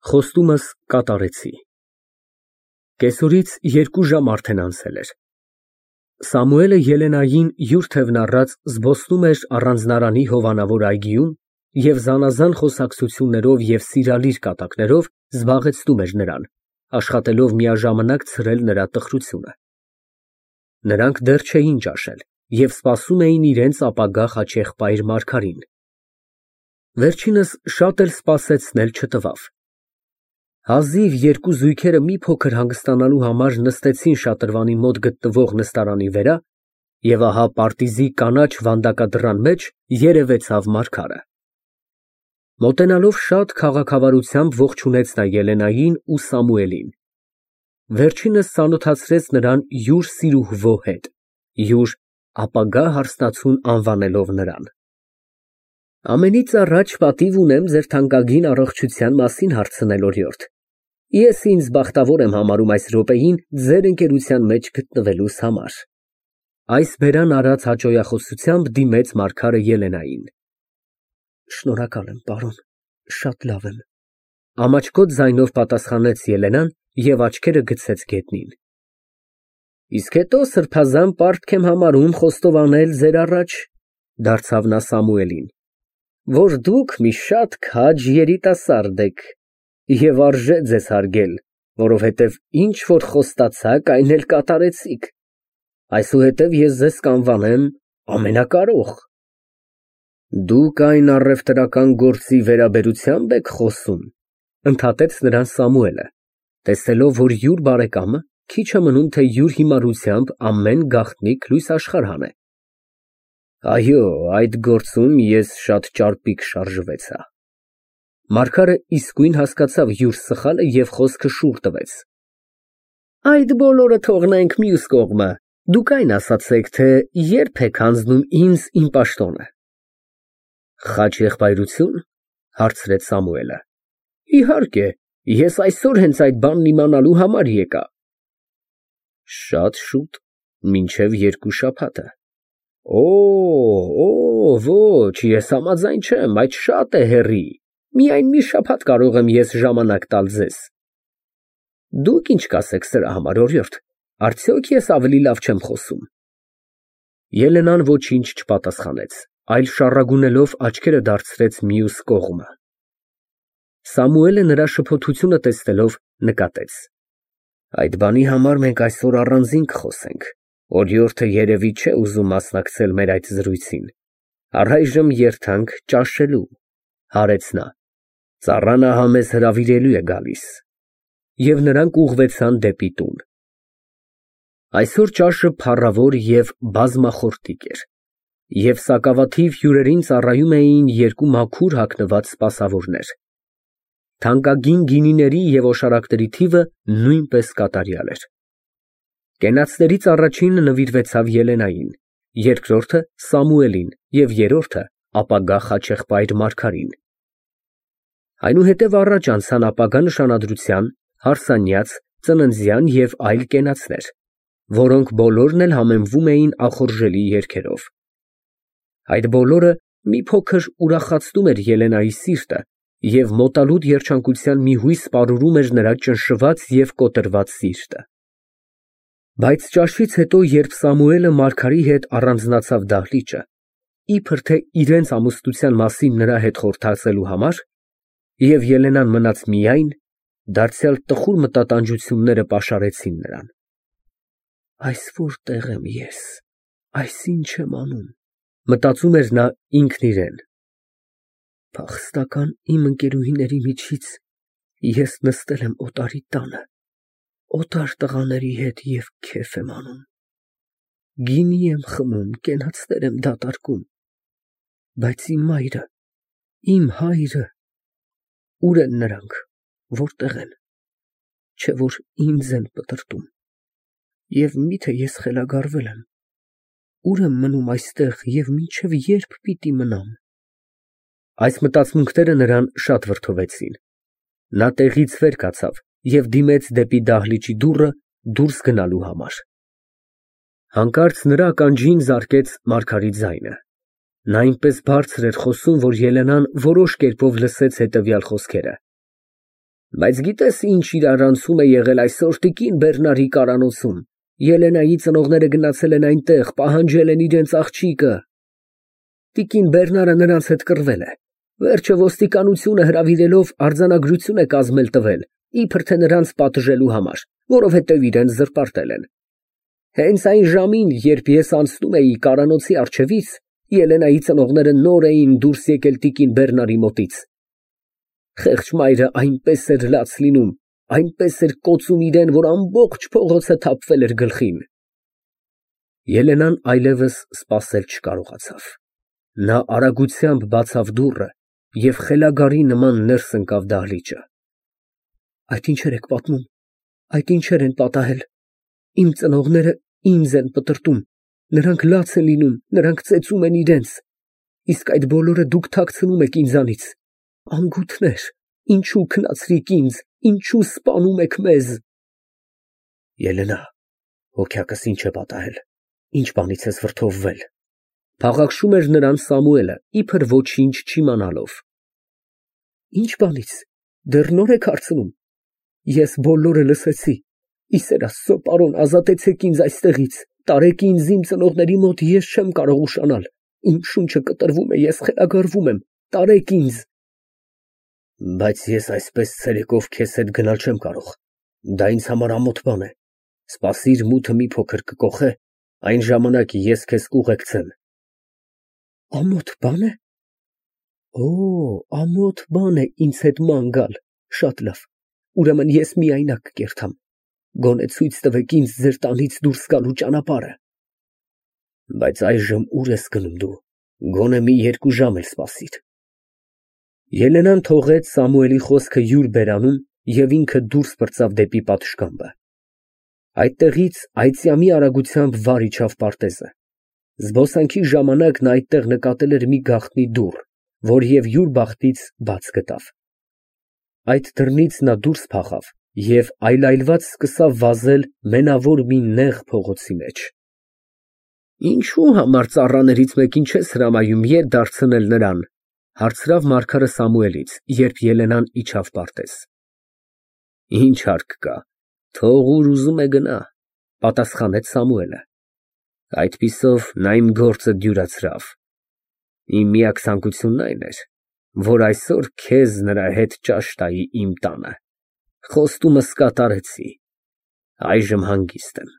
Խոստումս կատարեցի։ Կեսօրից 2 ժամ արդեն անցել էր։ Սամուելը Ելենային յուր թևն առած զբոսնում էր առանձնարանի հովանավոր այգիում և զանազան խոսակցություններով և սիրալիր կատակներով զբաղեցնում էր նրան, աշխատելով միաժամանակ ցրել նրա տխրությունը։ Նրանք դեռ չէին ճաշել և սպասում էին իրենց ապագա խաչեղբայր Մարգարին։ Վերջինս շատ էլ սպասեցնել չտվավ։ Հազիվ 2 զույգերը մի փոքր հանգստանալու համար նստեցին շատրվանի մոտ գտնվող նստարանի վրա, և ահա պարտիզի կանաչ վանդակադռան մեջ երևեցավ Մարգարը։ Մոտենալով շատ քաղաքավարությամբ ողջունեց նա Ելենային ու Սամուելին։ Վերջինս ծանոթացրեց նրան յուր սիրուհվո հետ, յուր ապագա հարսնացուն անվանելով նրան։ Ամենից առաջ պատիվ ունեմ ձեր թանկագին առողջության մասին հարցնել, օրիորդ։ Ես ինձ բախտավոր եմ համարում այս րոպեին ձեր ընկերության մեջ գտնվելուս համար։ Այս բերան արած հաճոյախոսությամբ դիմեց Մարգարը Ելենային։ Շնորհակալ եմ, պարոն, շատ լավ եմ, ամաչկոտ ձայնով պատասխանեց Ելենան և աչքերը գցեց գետնին։ Իսկ հետո սրբազան պարտք եմ համարում խոստովանել ձեր առաջ, դարձավ նա Սամուելին, որ դուք մի շատ քաջ երիտասարդ եք և արժե ձեզ հարգել, որովհետև ինչ որ խոստացաք, այն էլ կատարեցիք։ Այսուհետև ես ձեզ կանվանեմ ամենակարող։ Դուք այն առևտրական գործի վերաբերությա՞մբ եք խոսում, ընդհատեց նրան Սամուելը, տեսնելով, որ յուր բարեկամը քիչ է մնում, թե յուր հիմարությամբ ամեն գաղտնիք լույս աշխարհ հանե։ Այո, այդ գործում ես շատ ճարպիկ շարժվեցա։ Մարգարը իսկույն հասկացավ յուր սխալը և խոսքը շուռ տվեց։ Այդ բոլորը թողնենք մյուս կողմը, դուք այն ասացեք, թե երբ եք հանձնում ինձ իմ պաշտոնը։ Խաչեղբայրությո՞ւն, հարցրեց Սամուելը։ Իհարկե, ես այսօր հենց այդ բանն իմանալու համար եկա։ Շատ շուտ, մինչև 2 շաբաթը։ Ոչ, ես համաձայն չեմ, այդ շատ է հեռի, միայն մի շաբաթ կարող եմ ես ժամանակ տալ ձեզ։ Դուք ինչ կասեք սրա համար, օրիորդ, արդյոք ես ավելի լավ չեմ խոսում։ Ելենան ոչինչ չպատասխանեց, այլ շառագունելով աչքերը դարձրեց մյուս կողմը։ Սամուելը նրա շփոթությունը տեսնելով նկատեց. Այդ բանի համար մենք այսօր առանձին կխոսենք, օրիորդը երևի չէ ուզում մասնակցել մեր այդ զրույցին, առայժմ երթանք ճաշելու, հարեց նա, ծառան ահա մեզ հրավիրելու է գալիս, և նրանք ուղղվեցան դեպի տուն։ Այսօր ճաշը փառավոր և բազմախորտիկ էր, և սակավաթիվ հյուրերին ծառայում էին 2 մաքուր հագնված սպասավորներ։ Թանկագին գինիների և օշարակների թիվը նույնպես կատարյալ էր։ Կենացներից առաջինը նվիրվեցավ Ելենային, երկրորդը Սամուելին և երրորդը ապագա խաչեղբայր Մարգարին։ Այնուհետև առաջ անցան ապագա նշանադրության, հարսանյաց, ծննդյան և այլ կենացներ, որոնք բոլորն էլ համեմվում էին ախորժելի երգերով։ Այդ բոլորը մի փոքր ուրախացնում էր Ելենայի սիրտը և մոտալուտ երջանկության մի հույս պարուրում էր նրա ճնշված և կոտրված սիրտը։ Բայց ճաշից հետո, երբ Սամուելը Մարգարի հետ առանձնացավ դահլիճը, իբր թե իրենց ամուսնության մասին նրա հետ խորհրդածելու համար, և Ելենան մնաց միայն, դարձյալ տխուր մտատանջությունները պաշարեցին նրան։ Այս որտե՞ղ եմ ես, այս ի՞նչ եմ անում, մտածում էր նա ինքն իրեն։ Փախստական իմ ընկերուհիների միջից ես նստել եմ օտարի տանը, օտար տղաների հետ և քեֆ եմ անում, գինի եմ խմում, կենացներ եմ դատարկում, բայց իմ մայրը, իմ հայրը, ուր են նրանք, որտե՞ղ են, չէ որ ինձ են պտրտում, և միթե ես խելագարվել եմ, ուր եմ մնում այստեղ և մինչև ե՞րբ պիտի մնամ։ Այս մտածմունքները նրան շատ վրդովեցին։ Նա տեղից վեր կացավ և դիմեց դեպի դահլիճի դուռը դուրս գնալու համար։ Հանկարծ նրա ականջին զարկեց Մարգարի ձայնը։ Նա այնպես բարձր էր խոսում, որ Ելենան որոշ կերպով լսեց հետևյալ խոսքերը. Բայց գիտես ինչ իրարանցում է եղել այսօր տիկին Բեռնարի կարանոցում։ Ելենայի ծնողները գնացել են այնտեղ, պահանջել են իրենց աղջիկը։ Տիկին Բեռնարը նրանց հետ կռվել է։ Վերջը ոստիկանությունը հրավիրելով արձանագրություն է կազմել տվել, իբր թե նրանց պատժելու համար, որովհետև իրենց զրպարտել են։ Հենց այն ժամին, երբ ես անցնում էի կարանոցի առջևից, Ելենայի ծնողները նոր էին դուրս եկել տիկին Բեռնարի մոտից։ Խեղճ մայրը այնպես էր լաց լինում, այնպես էր կոծում իրեն, որ ամբողջ փողոցը թափվել էր գլխին։ Ելենան այլևս սպասել չկարողացավ։ Նա արագությամբ բացավ դուռը և խելագարի նման ներս ընկավ դահլիճը։ Այդ ինչեր եք պատմում, այդ ինչեր են պատահել։ Իմ ծնողները ինձ են պտրտում, նրանք լաց են լինում, նրանք ծեծում են իրենց, իսկ այդ բոլորը դուք թաքցնում եք ինձանից։ Անգութներ, ինչու քնացրիք ինձ, ինչու սպանում եք մեզ։ Ելենա, հոգյակս ինչ է պատահել, ինչ բանից ես վրդովվել։ Փաղաքշում էր նրան Սամուելը, իբր ոչինչ չիմանալով։ Ինչ բանից, դեռ նոր եք հարցնում։ Ես բոլորը լսեցի։ Իսեր Աստծո, պարոն, ազատեցեք ինձ այստեղից, տարեք ինձ իմ ծնողների մոտ, ես չեմ կարող ուշանալ։ Իմ շունչը կտրվում է, ես խելագարվում եմ, տարեք ինձ։ Բայց ես այսպես ցերեկով քեզ հետ գնալ չեմ կարող։ Դա ինձ համար ամոթ բան է։ Սպասիր, մութը մի փոքր կկոխե, այն ժամանակ ես քեզ կուղեկցեմ։ Ամոթ բան է։ Օ, ամոթ բան է ինձ հետ ման գալ։ Շատ լավ։ Ուրեմն ես միայնակ կերթամ։ Գոնե ցույց տվեք ինձ ձեր տանից դուրս գալու ճանապարհը։ Բայց այժմ ուր ես գնում դու։ Գոնե մի 2 ժամ էլ սպասիր։ Ելենան թողեց Սամուելի խոսքը յուր բերանում և ինքը դուրս պրծավ դեպի պատշգամբը։ Այդտեղից այծյամի արագությամբ վար իջավ պարտեզը։ Զբոսանքի ժամանակ նա այդտեղ նկատել էր մի գաղտնի դուռ, որ և յուր բախտից բաց գտավ։ Այդ դռնից նա դուրս փախավ և այլայլված սկսավ վազել մենավոր մի նեղ փողոցի մեջ։ Ինչու համար ծառաներից մեկին չես հրամայում ետ դարձնել նրան, հարցրավ Մարգարը Սամուելից, երբ Ելենան իջավ պարտեզ։ Ինչ հարկ կա, թող ուր ուզում է գնա, պատասխանեց Սամուելը։ Այդպիսով նա իմ գործը դյուրացրավ։ Իմ միակ ցանկությունն այն էր, որ այսօր քեզ նրա հետ ճաշ տայի իմ տանը։ Խոստումս կատարեցի, այժմ հանգիստ եմ։